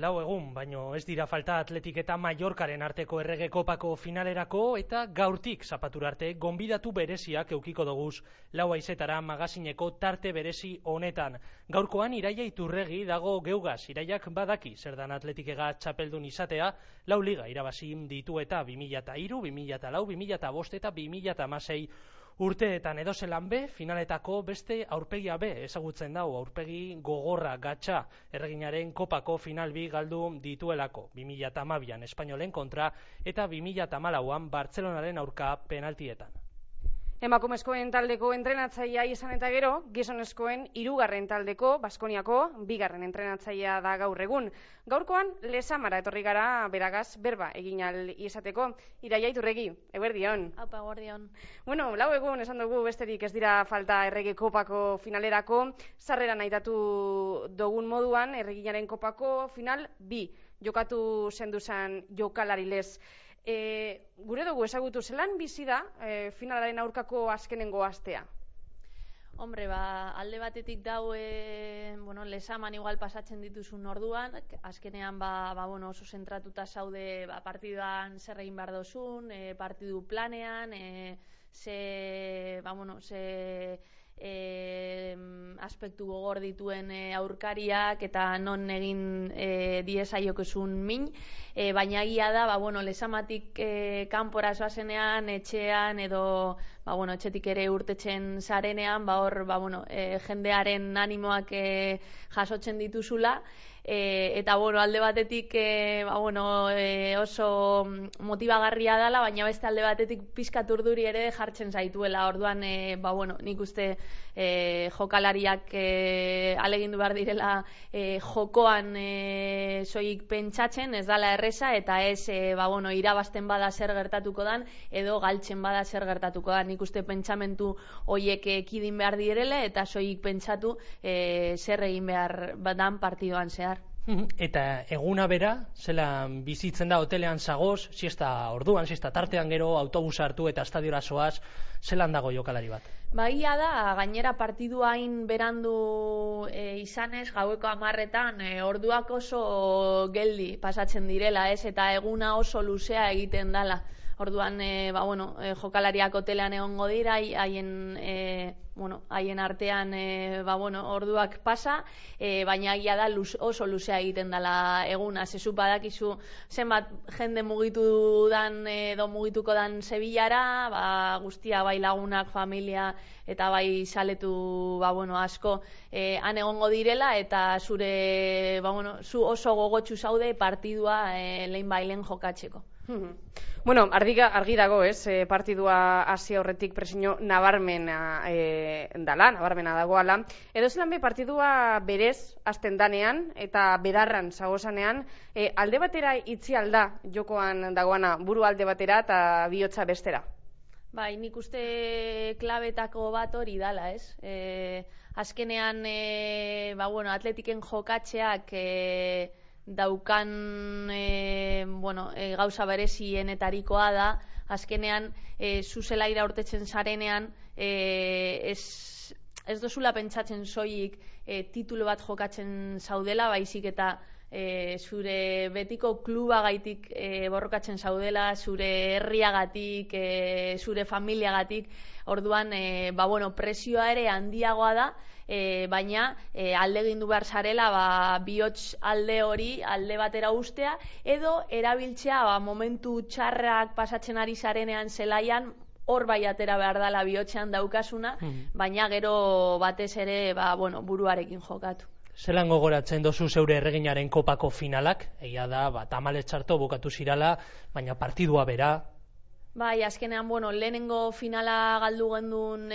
lau egun, baino ez dira falta Atletik eta Mallorcaren arteko errege kopako finalerako eta gaurtik zapatura arte gonbidatu bereziak eukiko doguz lau haizetara magazineko tarte berezi honetan. Gaurkoan Iraia Iturregi dago geugaz, Iraiak badaki zer dan Atletikega txapeldun izatea, lau liga irabazi ditu eta 2003, 2004, 2005 eta 2016 urteetan edozelan be, finaletako beste aurpegia be ezagutzen dau, aurpegi gogorra gatsa erreginaren kopako final bi galdu dituelako, 2012an Espainolen kontra eta 2014an Bartzelonaren aurka penaltietan. Emakumezkoen taldeko entrenatzailea izan eta gero, gizonezkoen hirugarren taldeko, Baskoniako bigarren entrenatzailea da gaur egun. Gaurkoan, Lezamara etorri gara beragaz berba egin ahal izateko. Iraia Iturregi, eguerdion. Aupa, eguerdion. Bueno, lau egun esan dugu besterik ez dira falta errege kopako finalerako, sarrera nahitatu dugun moduan, erreginaren kopako final bi, jokatu zenduzan jokalari lez. Gure dugu ezagutu zelan bizi da finalaren aurkako azkenengo astea? Hombre, alde batetik dau Lezaman igual pasatzen dituzun orduan, azkenean oso zentratuta zaude partiduan zer egin behar dozun, partidu planean, aspektu gogor dituen aurkariak eta non egin diezaiokezun min, baina egia da, Lezamatik kanpora zoazenean, etxean edo etxetik ere urtetzen zarenean, hor jendearen animoak jasotzen dituzula, eta alde batetik oso motibagarria dela, baina beste alde batetik pizkat urduri ere jartzen zaituela. Orduan nik uste jokalariak alegindu behar direla jokoan soilik pentsatzen, ez dala erreza, eta ez irabazten bada zer gertatuko dan edo galtzen bada zer gertatuko dan. Nik uste pentsamentu horiek ekidin behar direle eta soilik pentsatu zer egin behar badan partidoan zehar. Eta eguna bera, zelan bizitzen da hotelean zagoz, siesta orduan, siesta tartean gero, autobusa hartu eta estadiora zoaz, zelan dago jokalari bat? Baia da, gainera partidua hain berandu izanez, gaueko 10etan, orduak oso geldi pasatzen direla, ez? Eta eguna oso luzea egiten dela. Orduan, jokalariak hotelean egongo dira, haien artean orduak pasa, baina egia da oso luzea egiten dela eguna. Zezu badakizu zenbat jende mugitu dan edo mugituko dan Sevillara, guztia bai lagunak, familia eta bai saletu asko han egongo direla, eta zure zu oso gogotsu zaude partidua lehen bailen jokatzeko. Bueno, argi dago, ez, partidua hasi aurretik presio nabarmena dagoala. Edo zelan be partidua berez hasten danean eta bedarran zagozanean, alde batera itzi alda jokoan dagoana, buru alde batera eta bihotza bestera? Bai, nik uste klabetako bat hori dala, ez? Azkenean, Atletiken jokatzeak daukan gauza berezienetarikoa da, azkenean zuzelaira urtetzen zarenean ez dozula pentsatzen soilik titulu bat jokatzen zaudela, baizik eta zure betiko klubagaitik borrokatzen zaudela, zure herriagatik, zure familiagatik. Orduan presioa ere handiagoa da, baina alde gindu behar zarela bihotz alde hori alde batera ustea, edo erabiltzea momentu txarrak pasatzen ari zarenean zelaian, hor bai atera behar dela bihotzean daukasuna, baina gero batez ere buruarekin jokatu. Zelan gogoratzen dozu zeure erreginaren kopako finalak? Egia da, tamalez txarto bukatu zirala, baina partidua bera. Bai, azkenean, lehenengo finala galdu gendun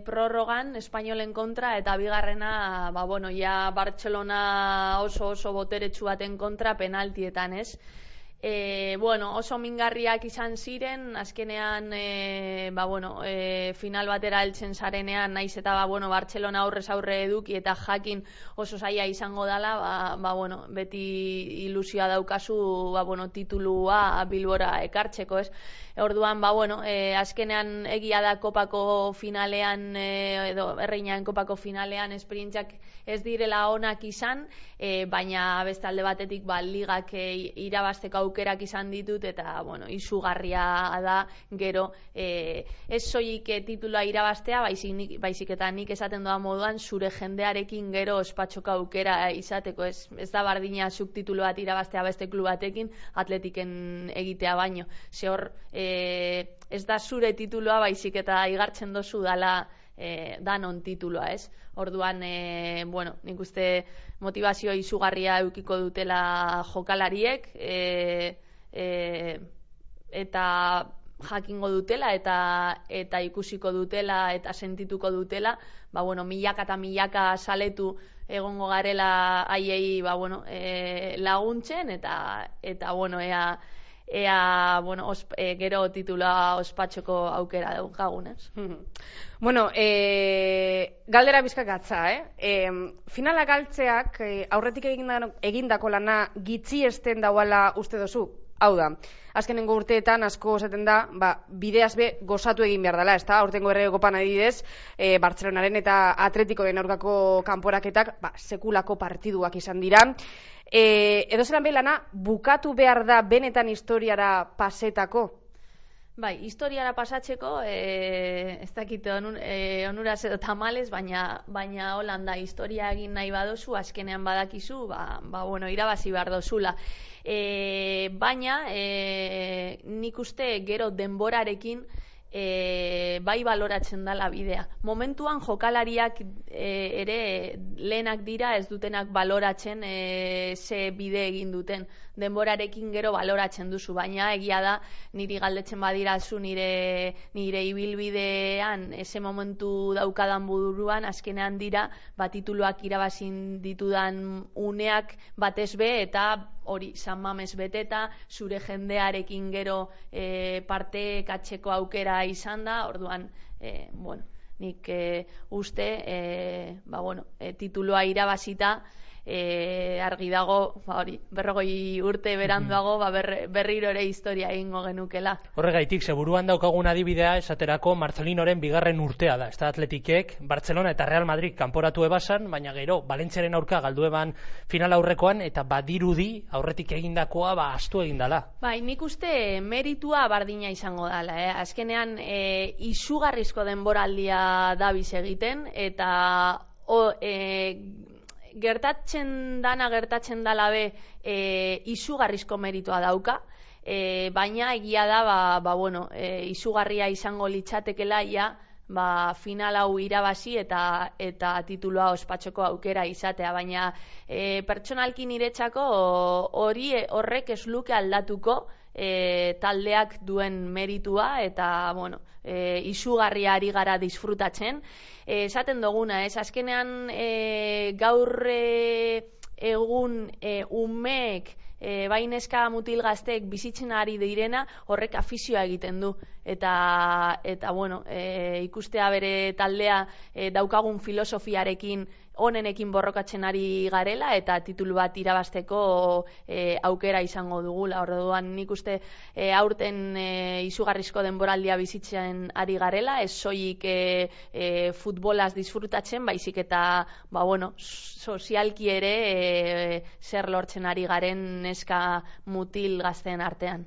prorrogan, Espainolen kontra, eta bigarrena, ja Bartzelona oso boteretsu baten kontra penaltietan, ez? Oso mingarriak izan ziren, azkenean final batera heltzen zarenean, naiz eta Bartzelona aurrez aurre eduki eta jakin oso zaila izango dela, beti ilusioa daukazu titulua Bilbora ekartzeko, ez? Orduan, azkenean egia da kopako finalean, edo erreinaen kopako finalean esperientziak ez direla onak izan, baina beste alde batetik ligak irabazteko aukerak izan ditut, eta izugarria da gero ez soilik titulua irabaztea, baizik eta nik esaten doa moduan zure jendearekin gero ospatxoka aukera izateko, ez da bardina zuk titulu bat irabaztea beste klub batekin atletiken egitea baino, ze hor ez da zure titulua, baizik eta igartzen dozu dala danon titulua, ez? Orduan, nik uste motivazio izugarria eukiko dutela jokalariek, eta jakingo dutela, eta ikusiko dutela, eta sentituko dutela, milaka eta milaka saletu egongo garela haiei laguntzen, eta ea gero titula ospatxoko aukera daukagunez. Galdera bizkak atza, finala galtzeak aurretik egindako lana gitxiesten dauala uste dozu? Hau da, azkenengo urteetan asko esaten da, bideaz be gozatu egin behar dela, ezta? Aurtengo Erregekopan adibidez, Bartzelonaren eta Atletikoren aurkako kanporaketak sekulako partiduak izan dira. Edo zelan lana bukatu behar da benetan historiara pasetako? Bai, historiara pasatzeko, ez dakit onuraz edo tamales, baina Holanda historia egin nahi badozu, azkenean badakizu, irabazi behar dozula. Baina, nik uste gero denborarekin bai baloratzen dela bidea. Momentuan jokalariak ere lehenak dira ez dutenak baloratzen ze bide egin duten. Denborarekin gero baloratzen duzu, baina egia da niri galdetzen badirazu nire ibilbidean ese momentu daukadan buruan azkenean dira tituluak irabazin ditudan uneak batez be, eta hori San Mames beteta, zure jendearekin gero parte katzeko aukera izan da, orduan nik uste titulua irabazita argi dago, 40 urte beranduago berriro ere historia egingo genukela. Horregaitik, buruan daukagun adibidea esaterako Marcelinoren bigarren urtea da, ez da Atletikek Barcelona eta Real Madrid kanporatu ebasan, baina gero Valentziaren aurka galdu eban final aurrekoan, eta badirudi aurretik egindakoa astu egin dala. Bai, nik uste meritua bardina izango dala, azkenean izugarrizko denboraldia dabiz egiten, eta gertatzen dala be izugarrizko meritua dauka, baina egia da izugarria izango litzatekela final hau irabazi eta titulua ospatxoko aukera izatea, baina pertsonalki niretzako horrek ez luke aldatuko taldeak duen meritua, eta izugarria ari gara disfrutatzen. Esaten duguna, azkenean gaur egun umeek bai neska mutil gazteek bizitzen ari direna horrek afizioa egiten du, eta ikustea bere taldea daukagun filosofiarekin onenekin borrokatzen ari garela, eta titulu bat irabazteko aukera izango dugula. Orduan nik uste aurten izugarrizko denboraldia bizitzen ari garela, ez soilik futbolaz disfrutatzen, baizik eta sozialki ere zer lortzen ari garen neska mutil gazteen artean.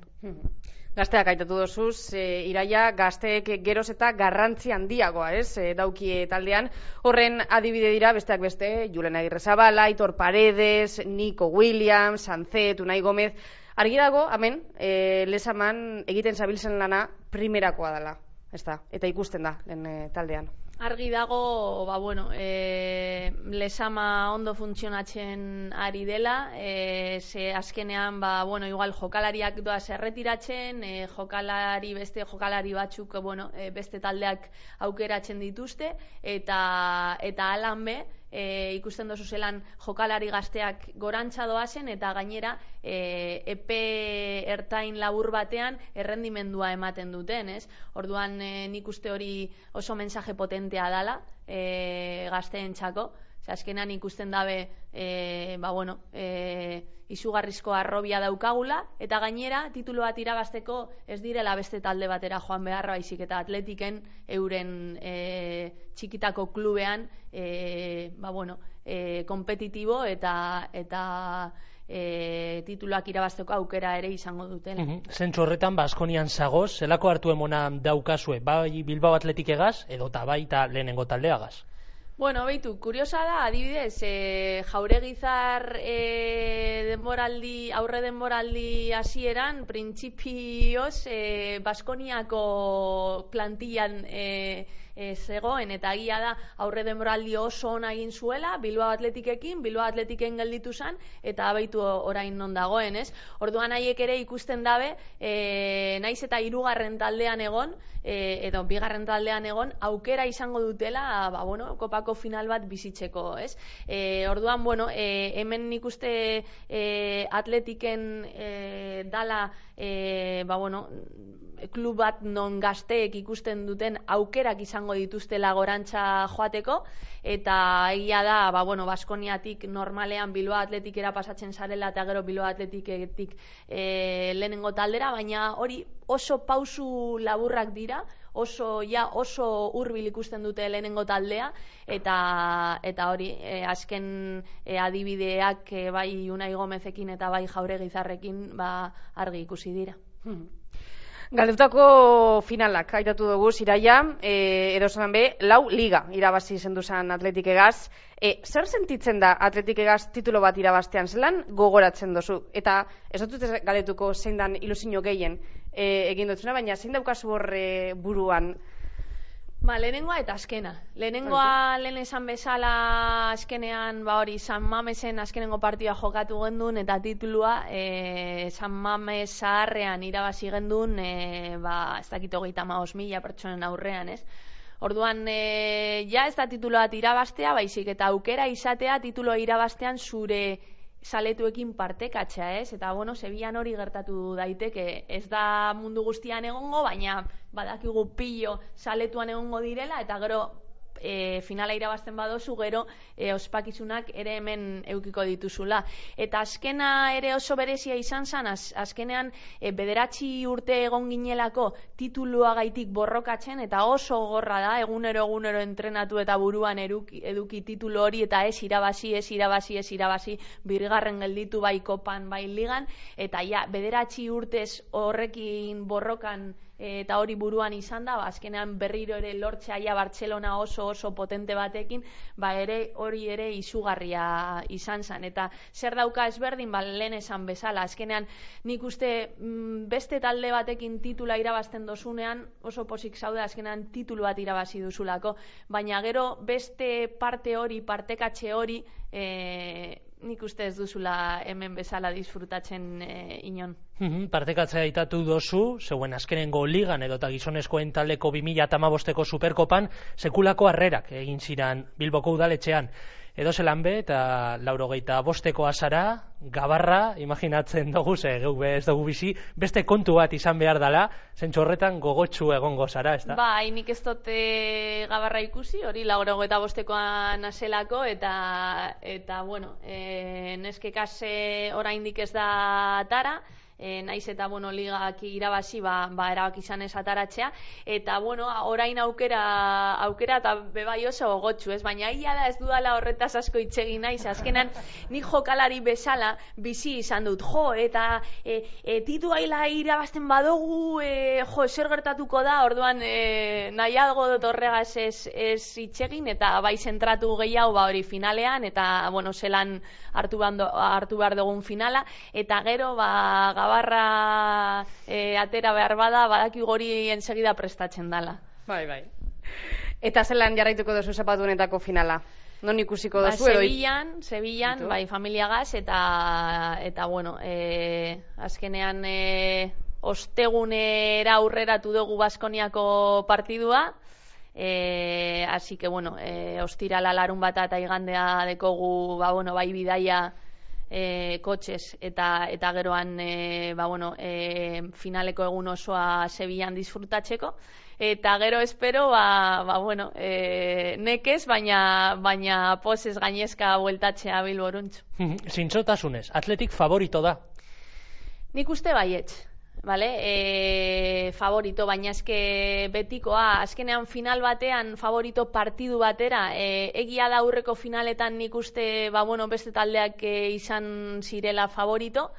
Gazteak aitatu dozuz, Iraia, gazteek geroz eta garrantzi handiagoa, daukie taldean. Horren adibide dira, besteak beste, Julen Agirrezabala, Aitor Paredes, Nico Williams, Sancet, Unai Gomez. Argi dago, hemen, Lezaman egiten zabiltzen lana primerakoa dela, eta ikusten da, taldean. Argi dago, Lezama ondo funtzionatzen ari dela, ze azkenean, igual jokalariak doaz erretiratzen, beste jokalari batzuk, beste taldeak aukeratzen dituzte, eta alan be, ikusten dozu zelan jokalari gazteak gorantza doazen, eta gainera epe ertain labur batean errendimendua ematen duten, ez? Orduan nik uste hori oso mensaje potentea dala gazteentzako. Azkenan ikusten dabe izugarrizko arrobia daukagula, eta gainera titulu bat irabazteko ez direla beste talde batera joan beharra, baizik eta Atletiken euren txikitako klubean kompetitibo eta tituluak irabazteko aukera ere izango dutela. Zentzu horretan, Baskonian zagoz, zelako hartu emona daukazue, bai Bilbao Atletik egaz, edota baita lehenengo taldeagaz? Bueno, beitu, kuriosa da, adibidez, Jauregizar aurre denboraldi hasieran, printzipioz Baskoniako plantillan zegoen, eta egia da aurre denboraldi oso ona egin zuela, Bilbao Atletikekin, Bilbao Atletiken gelditu zen, eta abaitu orain non dagoen, ez? Orduan haiek ere ikusten dabe, naiz eta hirugarren taldean egon, edo bigarren taldean egon, aukera izango dutela, kopako final bat bizitzeko, ez? Orduan, hemen nik uste Atletiken dala, klub bat non gazteek ikusten duten aukerak izango dituztela gorantza joateko, eta egia da, Baskoniatik normalean Bilbao Atletikera pasatzen zarela, eta gero Bilbao Atletiketik lehenengo taldera, baina hori oso pausu laburrak dira, oso hurbil ikusten dute lehenengo taldea, eta hori, azken adibideak bai Unai Gomezekin eta bai Jauregizarrekin argi ikusi dira. Galdutako finalak, aitatu dugu, Iraia, edo zelan be, 4 liga irabazi zendu zen Atletik egaz. Zer sentitzen da Atletik egaz titulo bat irabaztean, zelan gogoratzen dozu? Eta ez dut galetuko zein dan ilusio gehien egin dutzuna, baina zein daukazu horre buruan? Lehenengoa eta azkena. Lehenengoa lehen esan bezala azkenean, San Mamesen azkenengo partida jokatu gendun, eta titulua San Mames zaharrean irabazi gendun, ez dakit 35.000 pertsonen aurrean, ez? Orduan, ez da titulu bat irabaztea, baizik eta aukera izatea titulua irabaztean zure saletuekin partekatzea, ez? Eta, Sevillan hori gertatu daiteke, ez da mundu guztian egongo, baina badakigu pillo saletuan egongo direla, eta gero finala irabazten badozu, gero ospakizunak ere hemen eukiko dituzula. Eta azkena ere oso berezia izan zen, azkenean 9 urte egon ginelako tituluagaitik borrokatzen, eta oso gogorra da, egunero entrenatu eta buruan eduki titulu hori, eta ez irabazi, birgarren gelditu bai kopan, bai ligan, eta 9 urtez horrekin borrokan eta hori buruan izan da, azkenean berriro ere lortzea Bartzelona oso potente batekin, hori ere izugarria izan zen. Eta zer dauka ezberdin, lehen esan bezala, azkenean nik uste beste talde batekin titula irabazten dozunean, oso posik zaude azkenean titulu bat irabazi duzulako, baina gero beste partekatxe hori, nik uste ez duzula hemen bezala disfrutatzen inon. Partekatzea aitatu dozu, zeuen azkenengo ligan edota gizonezkoen taldeko 2015ko Superkopan sekulako harrerak egin ziran Bilboko udaletxean. Edo zelan be, eta 85ko azara, gabarra, imaginatzen dugu, geu ez dugu bizi, beste kontu bat izan behar dela, zentzu horretan gogotsu egongo zara, ez da? Nik ez dute gabarra ikusi, hori 85koan azelako, eta neskekaz oraindik ez da atara, naiz eta ligak irabazi erabaki izan ez ataratzea, eta orain aukera eta bebai oso gogotsu, ez? Baina ia da ez dudala horretaz asko itxegin naiz, azkenan nik jokalari bezala bizi izan dut, eta tituaila irabazten badugu, zer gertatuko da, orduan nahiago dut horregaz ez itxegin, eta bai zentratu gehiago hori finalean, eta zelan hartu behar dugun finala, eta gero gabarra atera behar bada, badaki gori ensegida prestatzen dala. Bai. Eta zelan jarraituko duzu zapatunetako finala? Non ikusiko duzu? Sevillan, bai, familiagaz, eta azkenean ostegunera aurreratu dugu Baskoniako partidua, Así que, bueno, ostirala larun bata eta igandea dekogu, bai bidaia kotxez eta geroan finaleko egun osoa Sevillan disfrutatzeko. Eta gero espero, nekez, baina pozez gainezka bueltatzea Bilboruntz. Zintzotasunez, Atletik favorito da? Nik uste baietz. Vale, favorito, baina eske betikoa, azkenean final batean favorito partidu batera, egia da aurreko finaletan nik uste, beste taldeak izan zirela favorito,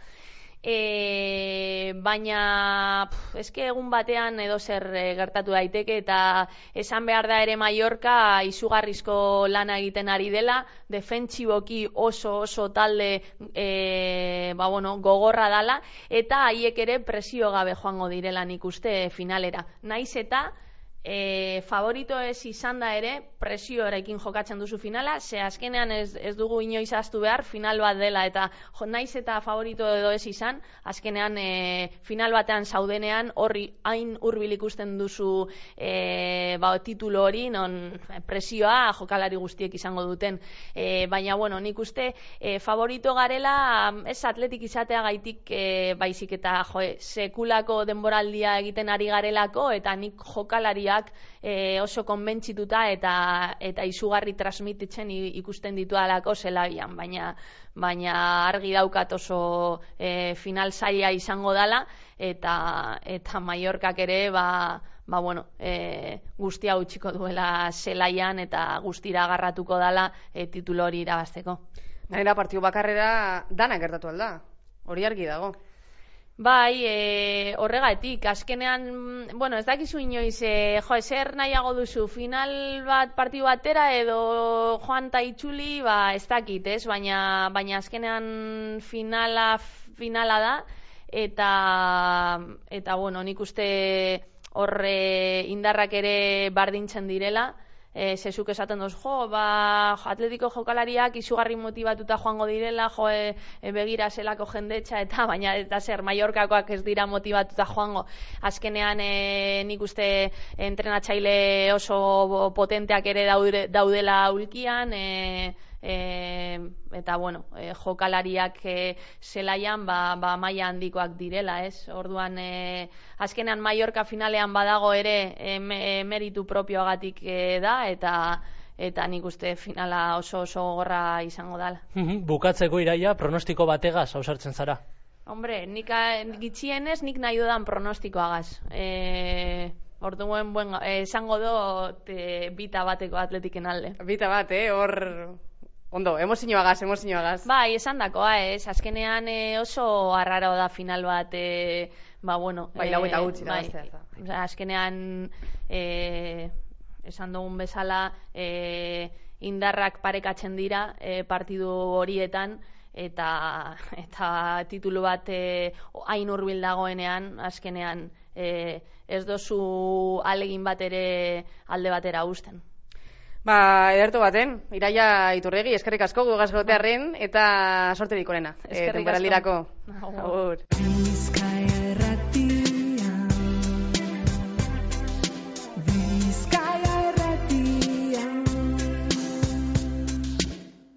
baina eske egun batean edo zer gertatu daiteke, eta esan behar da ere Mallorca izugarrizko lana egiten ari dela, defentsiboki oso talde gogorra dala, eta haiek ere presio gabe joango direla nik uste finalera. Naiz eta favorito ez izan da ere, presioarekin jokatzen duzu finala, ze azkenean ez dugu inoiz ahaztu behar final bat dela, eta naiz eta favorito edo ez izan, azkenean final batean zaudenean horri hain hurbil ikusten duzu titulu hori, non presioa jokalari guztiek izango duten. Baina, nik uste favorito garela, ez Atletik izatea gaitik baizik eta sekulako denboraldia egiten ari garelako, eta nik jokalariak oso konbentzituta eta izugarri transmititzen ikusten ditualako zelaian, baina argi daukat oso final zaila izango dela, eta Mallorcak ere guztia utziko duela zelaian eta guztira agarratuko dela titulu hori irabazteko. Gainera partidu bakarrera dana gertatu alda, hori argi dago. Bai, horregatik, azkenean, ez dakizu inoiz, zer nahiago duzu, final bat partidu batera edo joan ta itzuli, ez dakit, ez? Baina azkenean finala da, eta nik uste horre indarrak ere bardintzen direla, zezuk esaten doz, Atletiko jokalariak izugarri motibatuta joango direla, begira zelako jendetza, eta zer, Mallorcakoak ez dira motibatuta joango. Azkenean nik uste entrenatzaile oso potenteak ere daudela ulkian, eta jokalariak zelaian maila handikoak direla, ez? Orduan azkenean Mallorca finalean badago ere meritu propioagatik da, eta nik uste finala oso gorra izango dela. Bukatzeko Iraia, pronostiko bategaz ausartzen zara? Hombre, nik gitxienez nik nahi dudan pronostikoagaz. Orduan, esango dut bita bateko Atletiken alde. Bita bat, hor... Ondo, emozioagaz. Bai, esan dakoa, ez. Azkenean oso arraro da final bat, bai, lau eta gutxi irabaztea. Azkenean, esan dugun bezala, indarrak parekatzen dira partidu horietan, eta titulu bat hain hurbil dagoenean, azkenean ez dozu alegin bat ere alde batera uzten. Ederto baten, Iraia Iturregi, eskerrik asko gugazgotearren, eta sorte dikorena. Eskerrik asko. Agur.